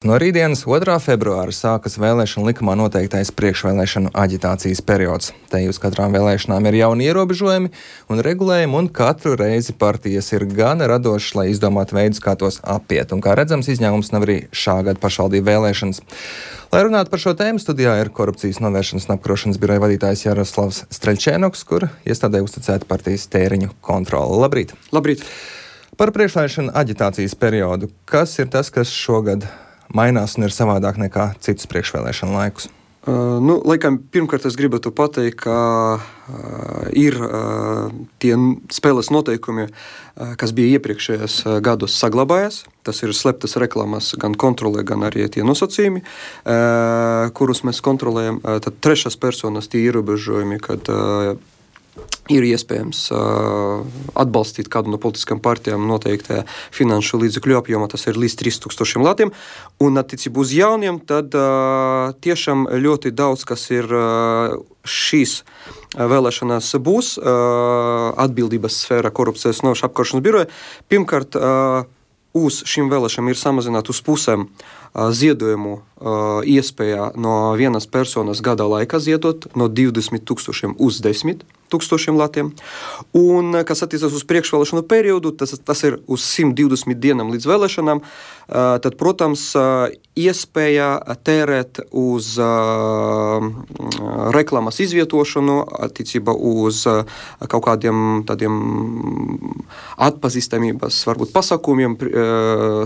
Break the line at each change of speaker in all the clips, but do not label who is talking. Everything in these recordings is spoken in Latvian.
No rītdienas 2. februāra sākas vēlēšanu likumā noteiktais priekšvēlēšanu aģitācijas periods. Te uz katrām vēlēšanām ir jauni ierobežojumi un regulējumi, un katru reizi partijas ir gana radošas, lai izdomātu veidus, kā tos apiet. Un kā redzams, izņēmums nav arī šā gada pašvaldību vēlēšanas. Lai runātu par šo tēmu, studijā ir korupcijas novēršanas un apkarošanas biroja vadītājs Jaroslavs Streļčēnoks, kur iestādē uzticēta partijas tēriņu kontrole. Labrīt!
Labrīt!
Par priekšvēlēšanu aģitācijas periodu. Kas ir tas, kas šogad mainās un ir savādāk nekā citus priekšvēlēšanu laikus?
Laikam, pirmkārt es gribētu pateikt, ka ir tie spēles noteikumi, kas bija iepriekšējos gados saglabājas. Tas ir sleptas reklāmas gan kontrolē, gan arī tie nosacījumi, kurus mēs kontrolējam. Tad trešās personas tie ierobežojumi, kad ir iespējams atbalstīt kādu no politiskām partijām noteiktajā finanšu līdzekļu apjomā, tas ir līdz 3000 latiem. Un attiecībā uz jauniem, tad tiešām ļoti daudz, kas ir šīs vēlēšanās būs atbildības sfēra korupcijas novēršanas apkarošanas biroja. Pirmkārt, uz šīm vēlēšanām ir samazināt uz pusēm ziedojumu iespējā no vienas personas gada laikā ziedot no 20 000 uz 10 000 latiem. Un, kas attiecas uz priekšvēlēšanu periodu, tas ir uz 120 dienām līdz vēlēšanām, tad, protams, iespēja tērēt uz reklāmas izvietošanu, attiecībā uz kaut kādiem tādiem atpazīstamības, varbūt pasākumiem,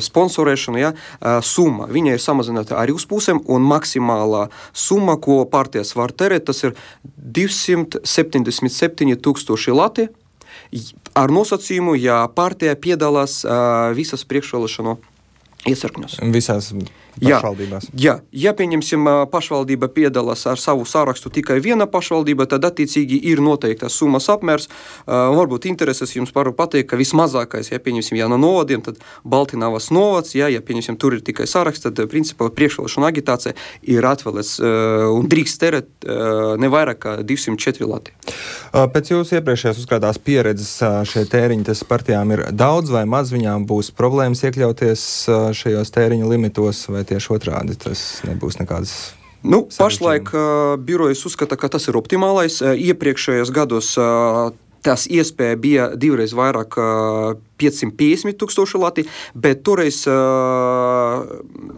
sponsorēšanu, summa. Viņa ir samazināta arī uz pusēm, un maksimālā summa, ko partijas var tērēt, tas ir 277 000 lati ar nosacījumu, ja partija piedalās visas priekšvēlēšanu iecirkņos.
Visās pašvaldībās.
Jā, pieņemsim, pašvaldība piedalās ar savu sārakstu tikai viena pašvaldība, tad attiecīgi ir noteiktas summas apmērs. Varbūt intereses jums varu pateikt, ka vismazākais, pieņemsim, no novadiem, tad Baltinavas novads, pieņemsim, tur ir tikai sāraksts, tad principā priekšvēlēšanu agitācija ir atvēlēts un drīkst tērēt ne vairāk kā 204 lati.
Pēc jūsu iepriekšējās uzkrātās pieredzes šie tēriņi, tas partijām ir daudz vai maz, viņām būs problēmas iekļauties šajos tēriņu limitos, vai tieši otrādi tas nebūs nekādas?
Pašlaik birojas uzskata, ka tas ir optimālais. Iepriekšējos gados tas iespēja bija divreiz vairāk 550 000 lati, bet toreiz,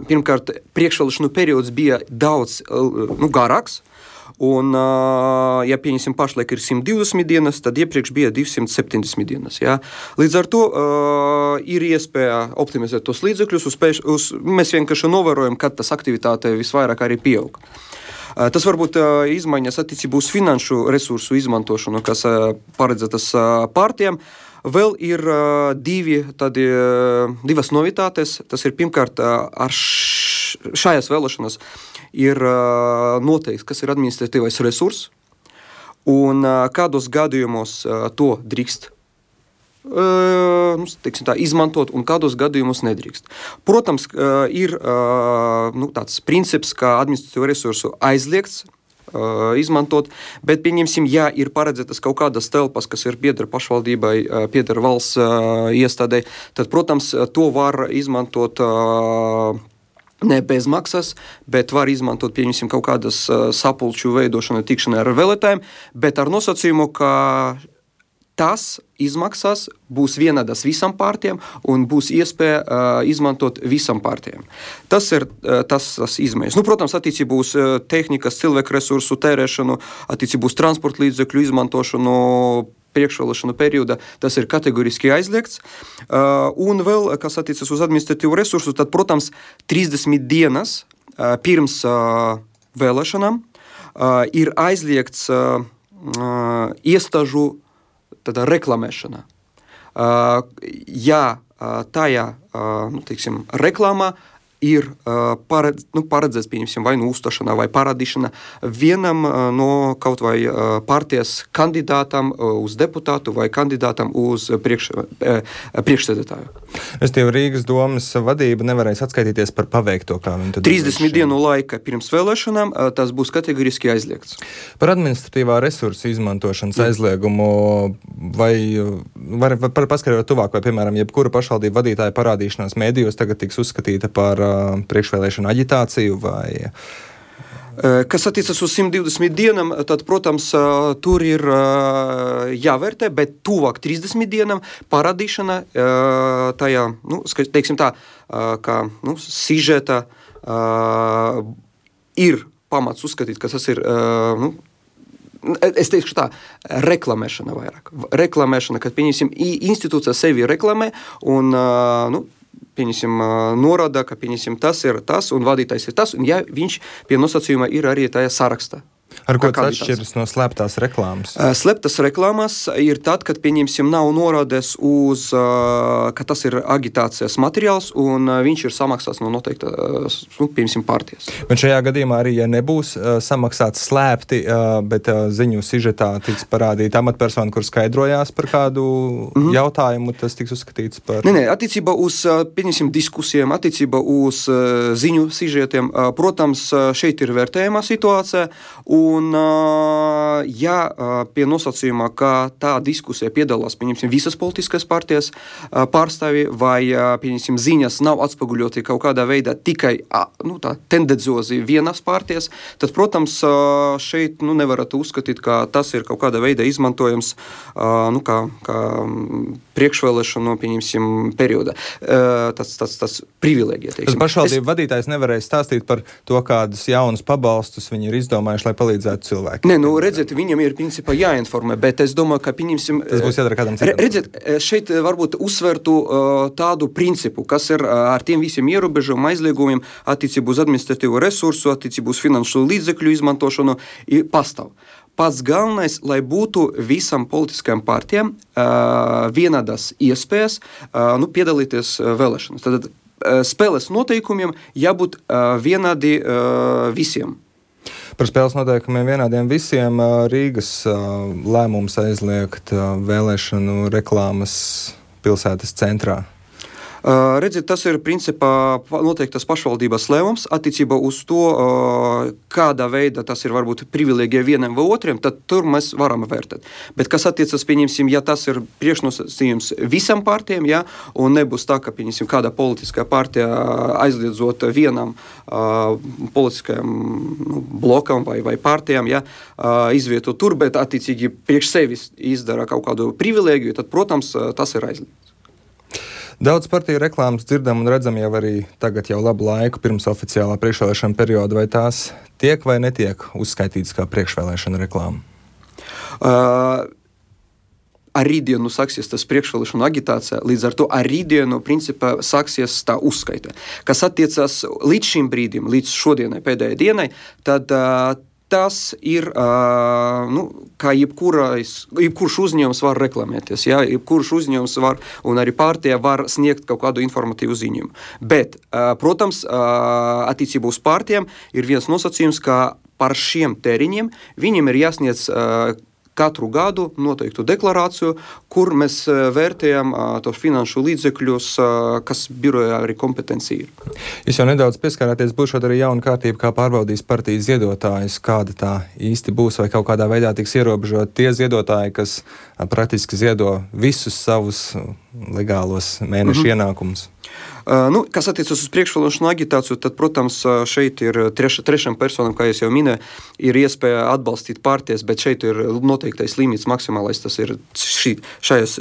pirmkārt, priekšvēlēšanu periods bija daudz garāks. Un, pieņemsim, pašlaik ir 120 dienas, tad iepriekš bija 270 dienas. Līdz ar to ir iespēja optimizēt tos līdzekļus. Mēs vienkārši novērojam, kad tas aktivitāte visvairāk arī pieaug. Tas varbūt izmaiņas attiecībā uz finanšu resursu izmantošanu, kas paredzētas partijām. Vēl ir divas novitātes. Tas ir pirmkārt ar šajās vēlēšanās ir noteikts, kas ir administratīvais resurs un kādos gadījumos to drīkst izmantot un kādos gadījumos nedrīkst. Protams, ir tāds princips, ka administratīvo resursu aizliegts izmantot, bet, pieņemsim, ir paredzētas kaut kādas telpas, kas ir pieder pašvaldībai, pieder valsts iestādē, tad, protams, to var izmantot ne bez maksas, bet var izmantot, pieņemsim, kaut kādas sapulču veidošanu, tikšanai ar vēlētājiem, bet ar nosacījumu, ka tas izmaksas būs vienādas visam partijām un būs iespēja izmantot visam partijām. Tas ir tas izmaiņas. Protams, attiecībā uz tehnikas, cilvēku resursu tērēšanu, attiecībā uz transporta līdzekļu izmantošanu priekšvēlēšanu periodā, tas ir kategoriski aizliegts. Un vēl, kas attiecas uz administratīvu resursu, tad, protams, 30 dienas pirms vēlēšanām ir aizliegts iestāžu reklamēšana. Tajā, reklāmā ir paredzēts, pieņemsim, vai uzstāšanā vai parādīšana vienam no kaut vai partijas kandidātam uz deputātu vai kandidātam uz priekšsēdētāju.
Restīvi, Rīgas domas vadība nevarēs atskaitīties par paveikto, kā viņi
30 dienu laika pirms vēlēšanām tas būs kategoriski aizliegts.
Par administratīvā resursa izmantošanas aizliegumu var paskaidrot tuvāk, vai, piemēram, jebkura pašvaldība vadītāja parādīšanās mēdījos tagad tiks uzskatīta par priekšvēlēšanu aģitāciju vai...
Kas attiecas uz 120 dienām, tad, protams, tur ir jāvērtē, bet tuvāk 30 dienām parādīšana tajā, teiksim tā, kā sižeta ir pamats uzskatīt, ka tas ir, es teikšu tā, reklamēšana vairāk. Reklamēšana, kad, pieņemsim, institūcija sevi reklamē un, pieņemsim, norāda, ka, pieņemsim, tas ir tas un vadītājs ir tas, un ja viņš pie nosacījuma ir arī tajā sarakstā.
Ar ko tas atšķiras no slēptās reklāmas?
Slēptas reklāmas ir tad, kad, pieņemsim, nav norādes uz, ka tas ir agitācijas materiāls un viņš ir samaksāts no noteikta, pieņemsim, partijas.
Bet šajā gadījumā arī, ja nebūs samaksāts slēpti, bet ziņu sižetā tiks parādīta amatpersona, kur skaidrojās par kādu jautājumu, tas tiks uzskatīts par...
Nē, attiecībā uz, pieņemsim, diskusijām, attiecībā uz ziņu sižetiem, protams, šeit ir vērtējumā situācija, un, ja pie nosacījumā, ka tā diskusija piedalās, pieņemsim, visas politiskās partijas pārstāvi, vai, pieņemsim, ziņas nav atspoguļoti kaut kādā veidā tikai, tā tendenciozi vienas partijas, tad, protams, šeit, nevarat uzskatīt, ka tas ir kaut kādā veidā izmantojams, kā priekšvēlēšanu, pieņemsim, periodā. Tas privilēģija, teiksim.
Tas pašvaldību vadītājs nevarēs stāstīt par to, kādus jaunus pabalstus viņi ir izdomājuši, lai palīdzētu cilvēkiem.
Nē, redziet, viņam ir principā jāinformē, bet es domāju, ka pieņemsim...
Tas būs jādara kādam citam.
Redziet, šeit varbūt uzsvertu tādu principu, kas ir ar tiem visiem ierobežojumiem, aizliegumiem, attiecību uz administratīvo resursu, attiecību uz finanšu līdzekļu izmantošanu, pastāv. Pats galvenais, lai būtu visam politiskajām partijām vienādas iespējas piedalīties vēlēšanas. Tad spēles noteikumiem jābūt vienādi visiem.
Par spēles noteikumiem vienādiem visiem Rīgas lēmums aizliegt vēlēšanu reklāmas pilsētas centrā.
Redziet, tas ir principā noteiktas pašvaldības lēmums attiecībā uz to, kādā veidā tas ir varbūt privilēģija vienam vai otriem, tad tur mēs varam vērtēt. Bet kas attiecas, pieņemsim, ja tas ir priekšnosacījums visam partijām, ja, un nebūs tā, ka, pieņemsim, kāda politiskā partija aizliedzot vienam politiskajam blokam vai partijām, ja, izvieto tur, bet attiecīgi priekš sevis izdara kaut kādu privilēģiju, tad, protams, tas ir aizliegts.
Daudz partiju reklāmas dzirdam un redzam jau arī tagad jau labu laiku pirms oficiālā priekšvēlēšana perioda, vai tās tiek vai netiek uzskaitītas kā priekšvēlēšana reklāma? Ar rītdienu sāksies tas priekšvēlēšanu agitācija, līdz ar to ar rītdienu principā sāksies tā uzskaita. Kas attiecas līdz šim brīdim, līdz šodienai, pēdējai dienai, tad tas ir, kā jebkurš uzņēmums var reklamēties, ja? Jebkurš uzņēmums var, un arī partija var sniegt kaut kādu informatīvu ziņojumu. Bet, protams, attiecībā uz partijām ir viens nosacījums, ka par šiem tēriņiem viņiem ir jāsniedz katru gadu noteiktu deklarāciju, kur mēs vērtējam tos finanšu līdzekļus, kas birojā arī kompetencija ir. Jūs jau nedaudz pieskārāties, būšot arī jauna kārtība, kā pārbaudīs partijas ziedotājus, kāda tā īsti būs, vai kaut kādā veidā tiks ierobežot tie ziedotāji, kas praktiski ziedo visus savus legālos mēnešu ienākumus.
Kas attiecas uz priekšvēlēšanu agitāciju, tad, protams, šeit ir trešam personam, kā es jau minēju, ir iespēja atbalstīt partijas, bet šeit ir noteiktais limits maksimālais, tas ir šajās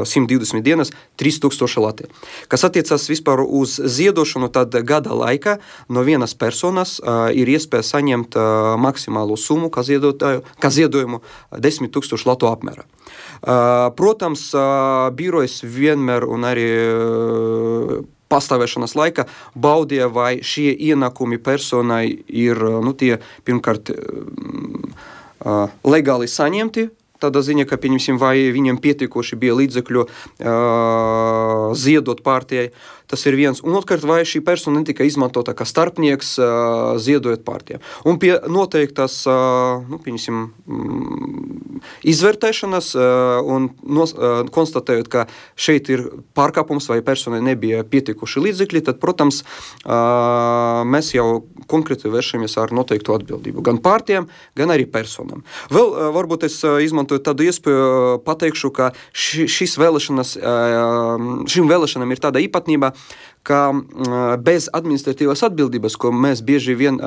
120 dienas 3000 lati. Kas attiecas vispār uz ziedošanu, tad gada laikā no vienas personas ir iespēja saņemt maksimālo summu, kā ziedojumu 10 000 latu apmērā. Protams, birojas vienmēr un arī pastāvēšanas laika baudīja, vai šie ienākumi personai ir tie pirmkārt legāli saņemti, tādā ziņā, ka, pieņemsim, vai viņam pietiekoši bija līdzekļu ziedot partijai, tas ir viens. Un otrkārt, vai šī persona netika izmantota kā starpnieks ziedojot partijām. Un pie noteiktas, pieņemsim, izvērtēšanas un konstatējot, ka šeit ir pārkāpums vai personai nebija pietiekoši līdzekļi, tad, protams, mēs jau konkrēti vēršamies ar noteiktu atbildību. Gan partijām, gan arī personām. Vēl varbūt es izmantoju tādu iespēju pateikšu, ka šīm vēlēšanām ir tāda īpatnība, ka bez administratīvās atbildības, ko mēs bieži vien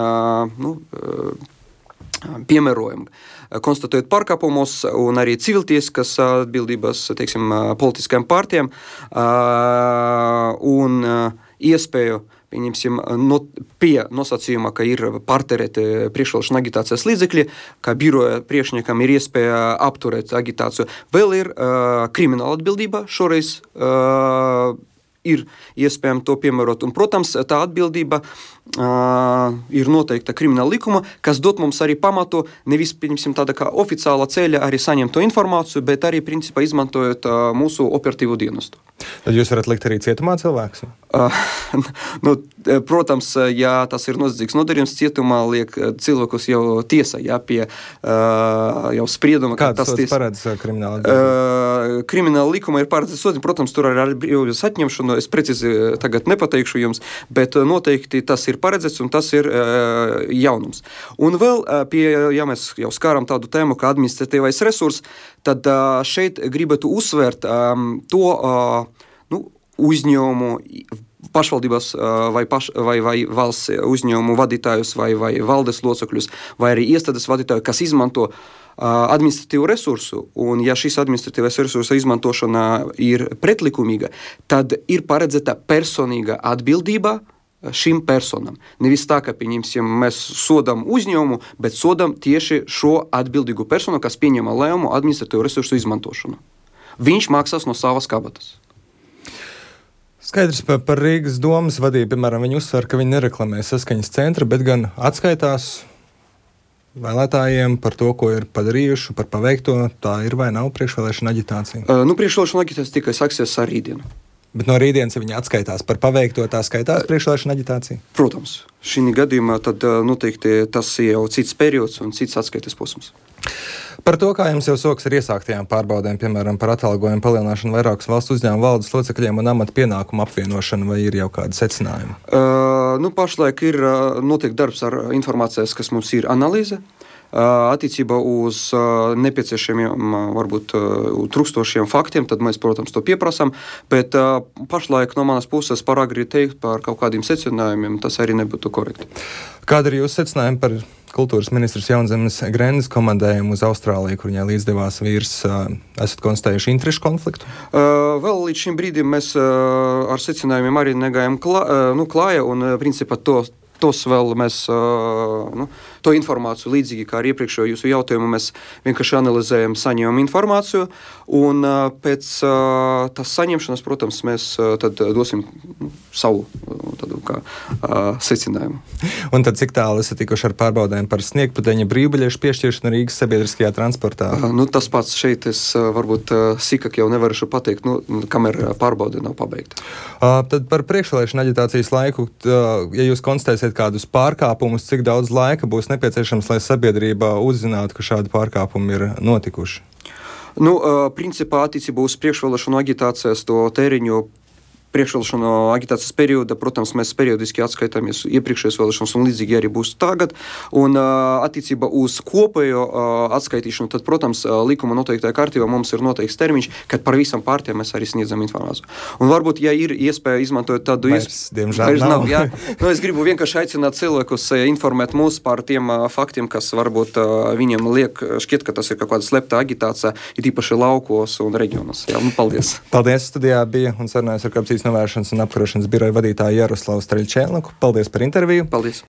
piemērojam, konstatējot pārkāpumus un arī civiltieskas atbildības, teiksim, politiskajām partijām un iespēju, pieņemsim, pie nosacījuma, ka ir pārterēti priekšvēlēšana agitācijas līdzekļi, ka biroja priekšniekam ir iespēja apturēt agitāciju. Vēl ir krimināla atbildība šoreiz, ir iespējams to piemērot. Un, protams, tā atbildība ir noteikta krimināla likuma, kas dot mums arī pamatu nevis, pieņemsim, tāda kā oficiāla ceļa arī saņemt to informāciju, bet arī, principā, izmantojot mūsu operatīvo dienestu.
Tad jūs varat likt arī cietumā cilvēkus?
Protams, ja tas ir noziedzīgs nodarījums, cietumā liek cilvēkus jau tiesa, pie jau sprieduma.
Kāds sods paredz krimināla?
Krimināla likuma ir paredzēts sods, protams, tur arī ar brīvības atņemšanu, es precīzi tagad nepateikšu jums, bet noteikti tas ir paredzēts un tas ir jaunums. Un vēl, ja mēs jau skāram tādu tēmu kā administratīvais resurs, tad šeit gribētu uzsvērt to uzņēmumu, pašvaldības vai valsts uzņēmumu vadītājus vai valdes locekļus vai arī iestādes vadītāju, kas izmanto administratīvu resursu, un ja šis administratīvais resursa izmantošana ir pretlikumīga, tad ir paredzēta personīga atbildība šim personam. Nevis tā, ka, pieņemsim, mēs sodam uzņēmumu, bet sodam tieši šo atbildīgu personu, kas pieņema lēmumu administratīvu resursu izmantošanu. Viņš maksās no savas kabatas.
Skaidrs par Rīgas domas vadību, piemēram, viņi uzsver, ka viņi nereklamē saskaņas centra, bet gan atskaitās vēlētājiem par to, ko ir padarījuši, par paveikto. Tā ir vai nav priekšvēlēšana aģitācija?
Priekšvēlēšana aģitācija tikai sāksies ar rītdienu.
Bet no rītdienas, ja viņi atskaitās par paveikto, tā skaitās priekšvēlēšana aģitācija?
Protams. Šī gadījumā tad noteikti tas ir jau cits periods un cits atskaites posms.
Par to, kā jums jau sokas ar iesāktajām pārbaudēm, piemēram, par atalgojumu palielināšanu vairākus valsts uzņēmumu valdes locekļiem un amata pienākumu apvienošanu, vai ir jau kādi secinājumi?
Pašlaik ir notiek darbs ar informācijas, kas mums ir analīze. Attiecībā uz nepieciešamiem, varbūt trūkstošiem faktiem, tad mēs, protams, to pieprasām, bet pašlaik no manas puses par agri teikt par kaut kādiem secinājumiem, tas arī nebūtu korekti.
Kāda ir jūsu secinājumi par kultūras ministrs Jaunzemes Grendes komandējumu uz Austrāliju, kur viņai līdzdevās vīrs? Esat konstatējuši interešu konfliktu?
Vēl līdz šim brīdim mēs ar secinājumiem arī negājam klāja, un principā tos vēl mēs to informāciju līdzīgi kā ar iepriekšējo jūsu jautājumu mēs vienkārši analizējam, saņemam informāciju un pēc tās saņemšanas, protams, mēs tad dosim savu tādu kā secinājumu.
Un tad cik tālu esat tikuši ar pārbaudēm par sniegpudeņa brīvbiļešu piešķiršanu Rīgas sabiedriskajā transportā?
Tas pats šeit es varbūt sīkāk jau nevaru pateikt, kamēr pārbaude nav pabeigta.
Tad par priekšvēlēšanu aģitācijas laiku, ja jūs konstatēsiet kādus pārkāpumus, cik daudz laika būs nepieciešams, lai sabiedrība uzzinātu, ka šādi pārkāpumi ir notikuši?
Principā attiecībā uz priekšvēlēšanu aģitācijas to tēriņu priekšvēlēšanu aģitācijas perioda, protams, mēs periodiski atskaitāmies iepriekšējās vēlēšanas un līdzīgi arī būs tagad. Un attiecībā uz kopējo atskaitīšanu, tad, protams, likuma noteiktajā kārtībā mums ir noteikts termiņš, kad par visam partijām mēs arī sniedzam informāciju. Un varbūt, ja ir iespēja izmantot tādu
diemžēl nav.
Es gribu vienkārši aicināt cilvēkus informēt mūs par tiem faktiem, kas varbūt viņiem šķiet, ka tas ir kaut kāda slepta aģitācija, ir īpaši laukos un reģionos. Paldies.
Paldies, studijā bija un sarunājos ar Korupcijas novēršanas un apkarošanas biroja vadītāju Jaroslavu Streļčēlniku. Paldies par interviju.
Paldies.